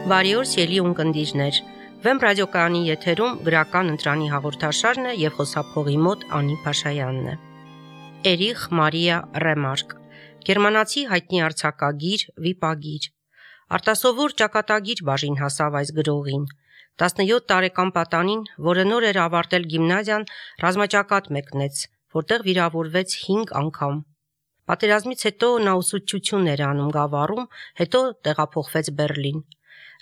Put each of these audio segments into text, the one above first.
Բարի օր, սիրելի ունկնդիրներ։ Վեմ ռադիոկայանի եթերում գրական ընտրանի հաղորդաշարն է եւ խոսափողի մոտ Անի Փաշայանն է։ Էրիխ Մարիա Ռեմարկ, գերմանացի հայտնի արձակագիր, վիպագիր։ Արտասովոր ճակատագիր բաժին հասավ այս գրողին։ 17 տարեկան պատանին, որը նոր էր ավարտել գիմնազիան, ռազմաճակատ մեկնեց, որտեղ վիրավորվեց 5 անգամ։ Պատերազմից հետո նա ուսուցչություն էր անում Գավառում, հետո տեղափոխվեց Բեռլին։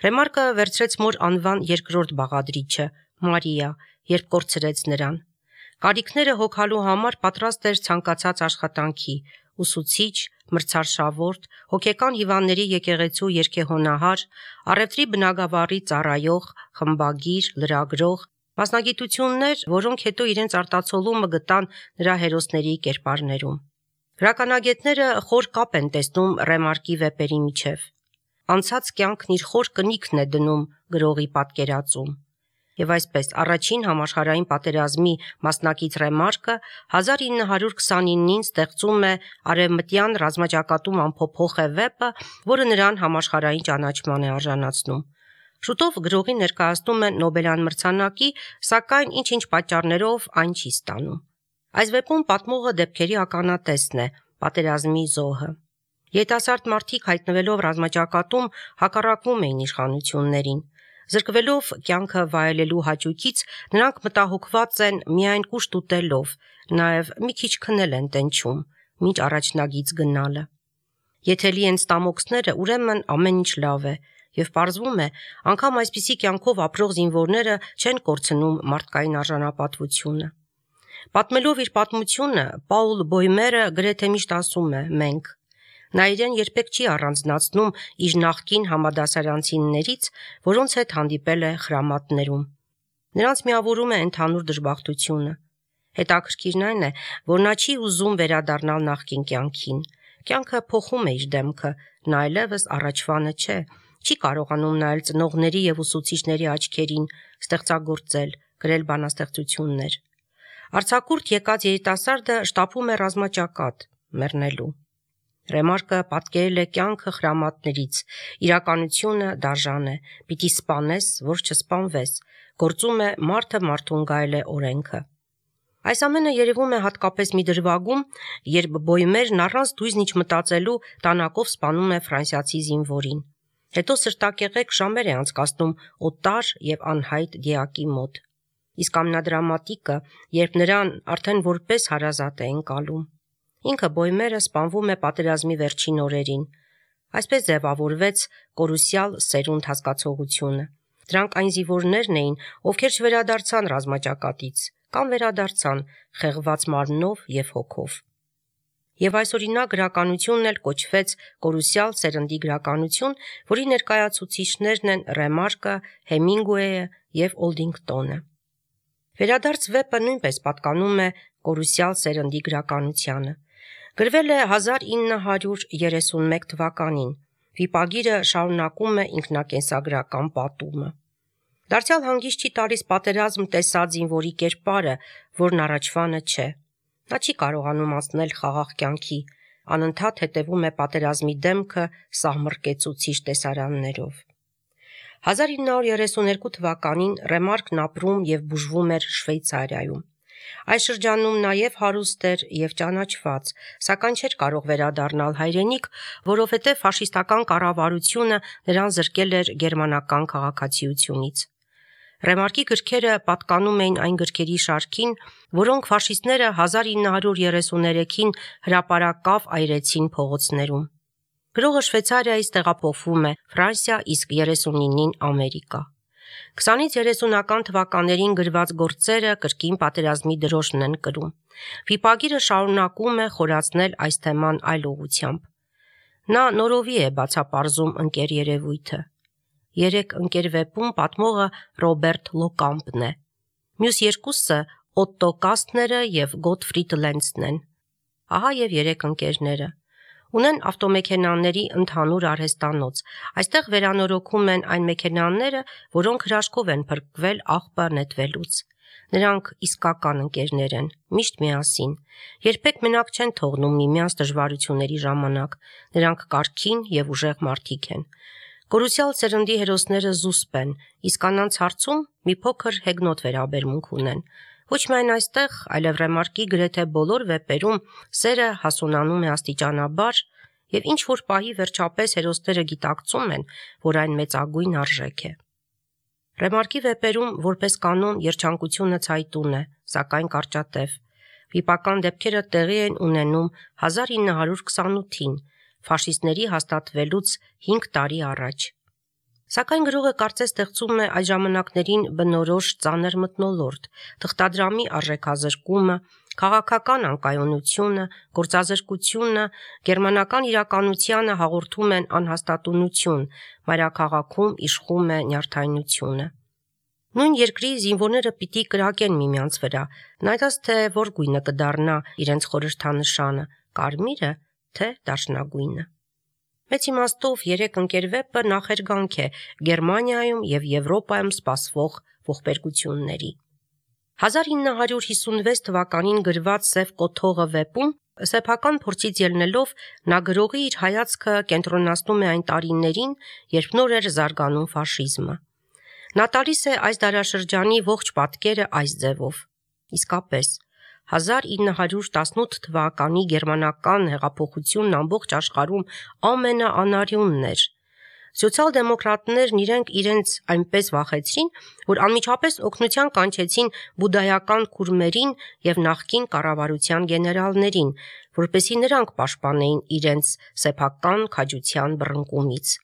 Ռեմարկը վերցրեց մոր անվան երկրորդ բաղադրիչը՝ Մարիա, երբ կորցրեց նրան։ Կարիքները հոգալու համար պատրաստ էր ցանկացած աշխատանքի՝ ուսուցիչ, մրցարշավորդ, հոգեկան հիվանդների եկեղեցու երգեհոնահար, առևտրի բնագավառի ծառայող, խմբագիր, լրագրող, մասնագիտություններ, որոնք հետո իրենց արտացոլումը գտան նրա հերոսների կերպարներում։ Գրականագետները խոր կապ են տեսնում Ռեմարկի վեպերի միջև։ Անցած կյանքն իր խոր կնիքն է դնում գրողի պատկերածում։ Եվ այսպես, առաջին համաշխարհային պատերազմի մասնակից Ռեմարկը 1929-ին ստեղծում է Արևմտյան ռազմաճակատում ամփոփող վեպը, որը նրան համաշխարհային ճանաչման է արժանացնում։ Շուտով գրողին ներկայացնում են Նոբելյան մրցանակի, սակայն ինչ-ինչ պատճառներով այն չի ստանում։ Այս վեպում պատմողը դեպքերի ականատեսն է, պատերազմի զոհը։ Երիտասարդ մարդիկ հայտնվելով ռազմաճակատում հակառակվում էին իշխանություններին։ Զրկվելով կյանքը վայելելու հաճույքից, նրանք մտահոգված են միայն կուշտ ուտելով, նաև մի քիչ քնել են տենչում, մինչ առաջնագիծ գնալը։ Եթե լի են ստամոքսները, ուրեմն ամեն ինչ լավ է, եւ պարզվում է, անգամ այսպիսի կյանքով ապրող զինվորները չեն կորցնում մարդկային արժանապատվությունը։ Պատմելով իր պատմությունը, Պաուլ Բոյմերը գրեթե միշտ ասում է «մենք»։ Նա իրեն երբեք չի առանձնացնում իր նախկին համադասարանցիներից, որոնց հետ հանդիպել է խրամատներում։ Նրանց միավորում է ընդհանուր դժբախտությունը։ Հետաքրքիրն այն է, որ նա չի ուզում վերադառնալ նախկին կյանքին։ Կյանքը փոխում է իր դեմքը, նա այլևս առաջվանը չէ, չի կարողանում նայել ծնողների եւ ուսուցիչների աչքերին, ստեղծագործել, գրել բանաստեղծություններ։ Արձակուրդ եկած երիտասարդը շտապում է ռազմաճակատ, մեռնելու։ Ռեմարկը պատկերել է կյանքը խրամատներից, իրականությունը դաժան է, պիտի սպանես, որ չսպանվես, գործում է մարդը մարդուն գայել է օրենքը։ Այս ամենը երևում է հատկապես մի դրվագում, երբ Բոյմերն առանց դույզն ինչ մտածելու տանակով սպանում է ֆրանսիացի զինվորին։ Հետո սրտակեղեկ ժամեր է անցկացնում օտար եւ անհայտ դիակի մոտ։ Իսկ ամենադրամատիկը, երբ նրան արդեն որպես հարազատ է ընկալում։ Ինքը Բոյմերը սպանվում է պատերազմի վերջին օրերին։ Այսպես ձևավորվեց կորուսյալ սերունդ հասկացողությունը։ Դրանք այն զինվորներն էին, ովքեր չվերադարձան ռազմաճակատից, կամ վերադարձան խեղված մարմնով եւ հոգով։ Եվ այսօրինակ գրականությունն էլ կոչվեց կորուսյալ սերնդի գրականություն, որի ներկայացուցիչներն են Ռեմարկը, Հեմինգուեյը եւ Օլդինգտոնը։ Վերադարձ վեպը նույնպես պատկանում է կորուսյալ սերնդի գրականությանը։ Գրվել է 1931 թվականին։ Վիպագիրը շարունակում է ինքնակենսագրական պատումը։ Դարձյալ հանգիստ չի տալիս պատերազմ տեսած զինվորի կերպարը, որն առաջվանը չէ։ Նա չի կարողանում անցնել խաղաղ կյանքի, անընդհատ հետևում է պատերազմի դեմքը սահմռկեցուցիչ տեսարաններով։ 1932 թվականին Ռեմարկն ապրում եւ բուժվում էր Շվեյցարիայում։ Այս շրջանում նաև հարուստ էր եւ ճանաչված, սակայն չէր կարող վերադառնալ հայրենիք, որովհետեւ ֆաշիստական կառավարությունը նրան զրկել էր գերմանական քաղաքացիությունից։ Ռեմարկի գրքերը պատկանում էին այն գրքերի շարքին, որոնք ֆաշիստները 1933-ին հրապարակավ այրեցին փողոցներում։ Գրողը Շվեյցարիայից տեղափոխվում է Ֆրանսիա, իսկ 39-ին Ամերիկա։ 20-ից 30-ական թվականներին գրված գործերը կրկին պատերազմի դրոշն են կրում։ Վիպագիրը շարունակում է խորացնել այս թեման այլ ուղղությամբ։ Նա նորովի է բացապարզում ընկեր երևույթը։ 3 ընկեր վեպում պատմողը Ռոբերտ Լոկամպն է։ Մյուս երկուսը Օտտո Կաստները եւ Գոտֆրիդ Լենցն են։ Ահա եւ 3 ընկերները։ Ունեն ավտոմեքենաների ընդհանուր արհեստանոց։ Այստեղ վերանորոգում են այն մեքենաները, որոնք հրաշքով են փրկվել աղբը նետվելուց։ Նրանք իսկական ընկերներ են, միշտ միասին։ Երբեք մենակ չեն թողնում միմյանց դժվարությունների ժամանակ։ Նրանք կարգին եւ ուժեղ մարդիկ են։ Կորուսյալ սերնդի հերոսները զուսպ են, իսկ կանանց հարցում մի փոքր հեգնոտ վերաբերմունք ունեն։ Ոչ միայն այստեղ, այլև Ռեմարկի գրեթե բոլոր վեպերում սերը հասունանում է աստիճանաբար եւ ինչ որ պահի վերջապես հերոսները գիտակցում են, որ այն մեծագույն արժեք է։ Ռեմարկի վեպերում որպես կանոն երջանկությունը ցայտուն է, սակայն կարճատև։ Վիպական դեպքերը տեղի են ունենում 1928-ին, ֆաշիստների հաստատվելուց 5 տարի առաջ։ Սակայն գրողը կարծես ստեղծում է այդ ժամանակներին բնորոշ ծանր մթնոլորտ, թղթադրամի արժեքազրկումը, քաղաքական անկայունությունը, գործազրկությունը, գերմանական իրականությանը հաղորդում են անհաստատունություն, մայրաքաղաքում իշխում է նյարդայնությունը։ Նույն երկրի զինվորները պիտի կրակեն միմյանց վրա, նայած թե որ գույնը կդառնա իրենց խորհրդանշանը, կարմիրը թե դաշնագույնը։ Մեծ իմաստով 3 ընկերվեպը նախերգանք է Գերմանիայում եւ Եվրոպայում սպասվող ողբերգությունների։ 1956 թվականին գրված Սև կոթողը վեպում սեփական փորձից ելնելով նա գրողի իր հայացքը կենտրոնացնում է այն տարիներին, երբ նոր էր զարգանում ֆաշիզմը։ Նա տալիս է այս դարաշրջանի ողջ պատկերը այս ձևով։ Իսկապես 1918 թվականի գերմանական հեղափոխությունն ամբողջ աշխարհում ամենաանարյունն էր։ Սոցիալ-դեմոկրատներն իրենց այնպես վախեցրին, որ անմիջապես օգնության կանչեցին բուդայական քուրմերին եւ նախկին կառավարության գեներալներին, որպեսզի նրանք պաշտպանեին իրենց սեփական քաջության բռնկումից։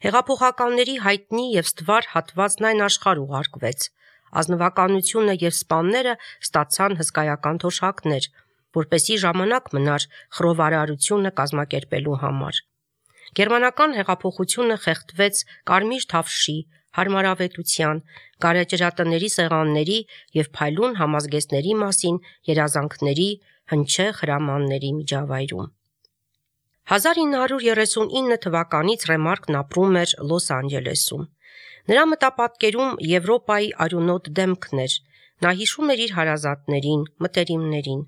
Հեղափոխականների հայտնի եւ ստվար հատվածն այն աշխարհ ուղարկվեց։ Ազնվականությունը եւ սպաները ստացան հսկայական թոշակներ, որպեսզի ժամանակ մնար խռովարարությունը կազմակերպելու համար։ Գերմանական հեղափոխությունը խեղդվեց կարմիր թավշի, հարմարավետության, գարեջրատների սեղանների եւ փայլուն համազգեստների մասին երազանքների հնչեղ հրամանների միջավայրում։ 1939 թվականից Ռեմարկն ապրում էր Լոս Անջելեսում։ Նրա մտապատկերում Եվրոպայի արյունոտ դեմքն էր, նա հիշում էր իր հարազատներին, մտերիմներին։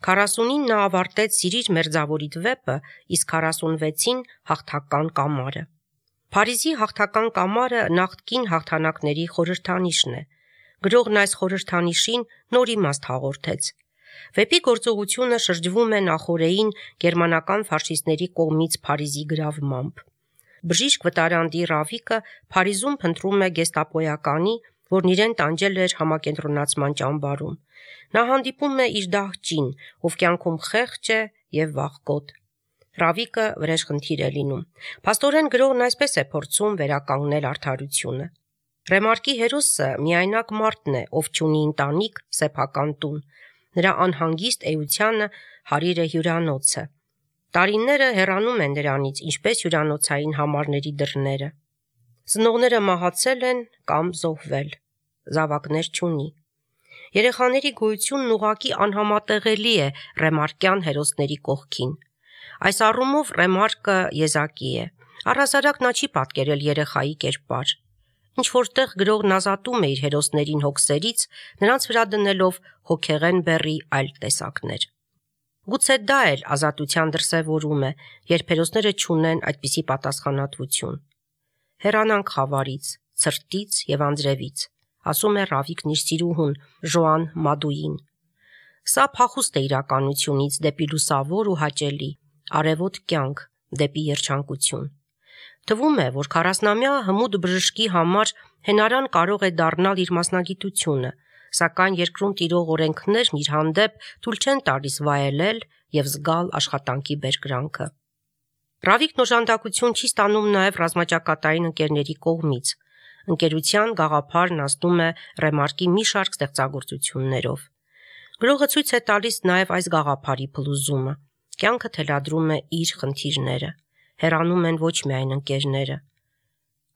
40-ին նա ավարտեց Սիրիր մերձավորիդ վեպը, իսկ 46-ին Հաղթական կամարը։ Փարիզի Հաղթական կամարը նախկին հաղթանակների խորհրդանիշն է։ Գրողն այս խորհրդանիշին նոր իմաստ հաղորդեց։ Վեպի գործողությունը շրջվում է նախօրեին գերմանական ֆաշիստների կողմից Փարիզի գրավմամբ։ Բժիշկ վտարանդի Ռավիկը Փարիզում փնտրում է գեստապոյականի, որն իրեն տանջել էր համակենտրոնացման ճամբարում։ Նա հանդիպում է իր դահճին, ով կյանքում խեղճ է եւ վախկոտ։ Ռավիկը վրեժխնդիր է լինում։ Փաստորեն գրողն այսպես է փորձում վերականգնել արդարությունը։ Ռեմարկի հերոսը միայնակ մարդն է, ով չունի ընտանիք, սեփական տուն։ Նրա անհանգիստ էությանը հարիր է հյուրանոցը։ Տարիները հեռանում են նրանից, ինչպես հյուրանոցային համարների դռները։ Ծնողները մահացել են կամ զոհվել։ Զավակներ չունի։ Երեխաների գոյությունն ուղղակի անհամատեղելի է ռեմարկյան հերոսների կողքին։ Այս առումով Ռեմարկը եզակի է։ Առհասարակ նա չի պատկերել երեխայի կերպար։ Ինչ որտեղ գրողն ազատում է իր հերոսներին հոգսերից, նրանց վրա դնելով հոգեղեն բեռի այլ տեսակներ։ Գուցե դա էլ ազատության դրսևորում է, երբ հերոսները չունեն այդպիսի պատասխանատվություն։ Հեռանանք խավարից, ցրտից եւ անձրևից, ասում է Ռավիկն իր սիրուհուն Ժոան Մադուին։ Սա փախուստ է իրականությունից դեպի լուսավոր ու հաճելի, արևոտ կյանք, դեպի երջանկություն։ Թվում է, որ 40-ամյա հմուտ բժշկի համար հենարան կարող է դառնալ իր մասնագիտությունը, սակայն երկրում տիրող օրենքներն իր հանդեպ թույլ չեն տալիս վայելել եւ զգալ աշխատանքի բերկրանքը։ Ռավիկն օժանդակություն չի ստանում նաեւ ռազմաճակատային ընկերների կողմից։ Ընկերության գաղափարն ազդում է Ռեմարկի մի շարք ստեղծագործություններով։ Գրողը ցույց է տալիս նաեւ այս գաղափարի փլուզումը։ Կյանքը թելադրում է իր խնդիրները։ Հեռանում են ոչ միայն ընկերները։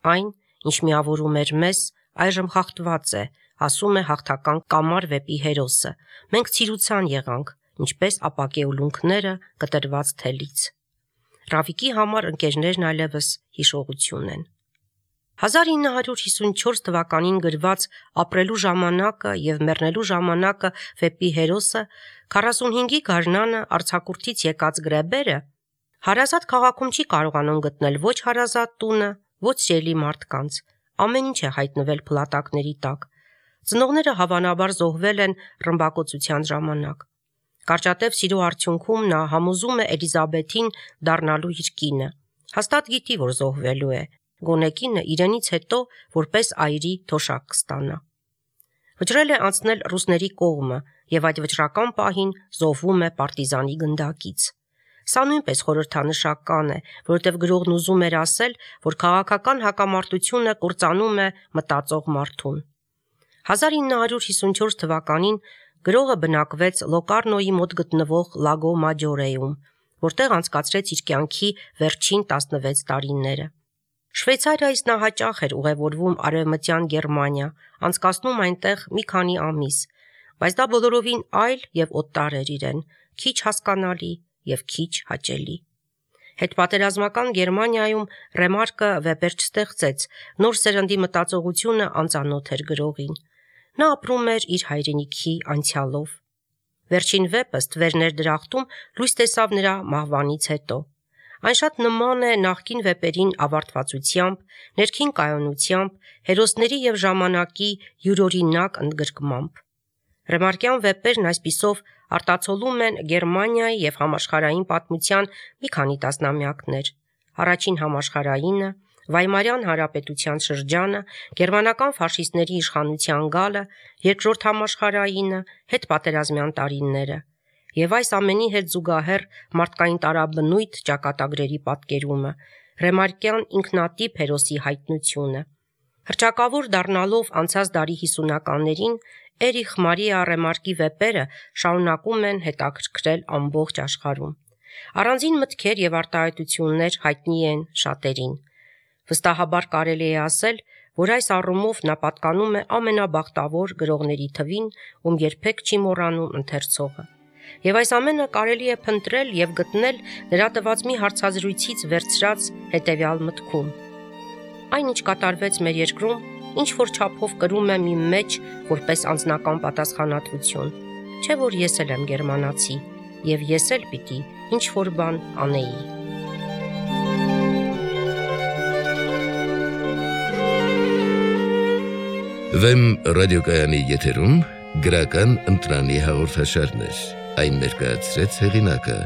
Այն, ինչ միավորում էր մեզ, այժմ խախտված է, ասում է Հաղթական կամար վեպի հերոսը։ Մենք ցիրուցան եղանք, ինչպես ապակե ուլունքները կտրված թելից։ Ռավիկի համար ընկերներն այլևս հիշողություն են։ 1954 թվականին գրված Ապրելու ժամանակը եւ մեռնելու ժամանակը վեպի հերոսը 45-ի գարնանը արձակուրդից եկած գրեբերը հարազատ քաղաքում չի կարողանում գտնել ոչ հարազատ տունը, ոչ սիրելի մարդկանց, ամեն ինչ է հայտնվել փլատակների տակ։ Ծնողները հավանաբար զոհվել են ռմբակոծության ժամանակ։ Կարճատև սիրո արդյունքում նա համոզում է Էլիզաբեթին դառնալու իր կինը։ Հաստատ գիտի, որ զոհվելու է, գոնե կինը իրենից հետո որպես այրի թոշակ կստանա։ Վճռել է անցնել ռուսների կողմը եւ այդ վճռական պահին զոհվում է պարտիզանի գնդակից։ Սա նույնպես խորհրդանշական է, որովհետև գրողն ուզում էր ասել, որ քաղաքական հակամարտությունը կործանում է մտածող մարդուն։ 1954 թվականին գրողը բնակվեց Լոկարնոյի մոտ գտնվող Լագո Մաջորեում, որտեղ անցկացրեց իր կյանքի վերջին 16 տարիները։ Շվեյցարիայից նա հաճախ էր ուղևորվում Արևմտյան Գերմանիա, անցկացնում այնտեղ մի քանի ամիս, բայց դա բոլորովին այլ եւ օտար էր իրեն, քիչ հասկանալի եւ քիչ հաճելի։ Հետպատերազմական Գերմանիայում Ռեմարկը վեպեր չստեղծեց, նոր սերնդի մտածողությունը անծանոթ էր գրողին։ Նա ապրում էր իր հայրենիքի անցյալով։ Վերջին վեպը Ստվերներ դրախտում լույս տեսավ նրա մահվանից հետո։ Այն շատ նման է նախկին վեպերին ավարտվածությամբ, ներքին կայունությամբ, հերոսների եւ ժամանակի յուրօրինակ ընդգրկմամբ։ Ռեմարկյան վեպերն այսպիսով արտացոլում են Գերմանիայի եւ համաշխարհային պատմության մի քանի տասնամյակներ։ Առաջին համաշխարհայինը, Վայմարյան հանրապետության շրջանը, գերմանական ֆաշիստների իշխանության գալը, երկրորդ համաշխարհայինը, հետպատերազմյան տարիները եւ այս ամենի հետ զուգահեռ մարդկային տարաբնույթ ճակատագրերի պատկերումը, Ռեմարկյան ինքնատիպ հերոսի հայտնությունը։ Հռչակավոր դառնալով անցած դարի 50-ականներին Էրիխ Մարիա Ռեմարկի վեպերը շարունակում են հետաքրքրել ամբողջ աշխարհում։ Առանձին մտքեր եւ արտահայտություններ հայտնի են շատերին։ Վստահաբար կարելի է ասել, որ այս առումով նա պատկանում է ամենաբախտավոր գրողների թվին, ում երբեք չի մոռանում ընթերցողը։ Եվ այս ամենը կարելի է փնտրել եւ գտնել նրա տված մի հարցազրույցից վերցրած հետեւյալ մտքում. Այն, ինչ կատարվեց մեր երկրում, ինչ որ չափով կրում է մի մեջ որպես անձնական պատասխանատվություն, չէ որ ես էլ եմ գերմանացի, եւ ես էլ պիտի ինչ որ բան անեի։ Վեմ ռադիոկայանի եթերում գրական ընտրանի հաղորդաշարներ, այն ներկայացրեց հեղինակը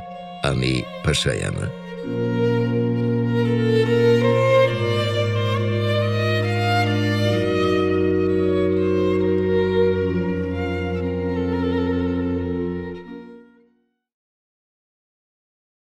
Անի Փաշայանը։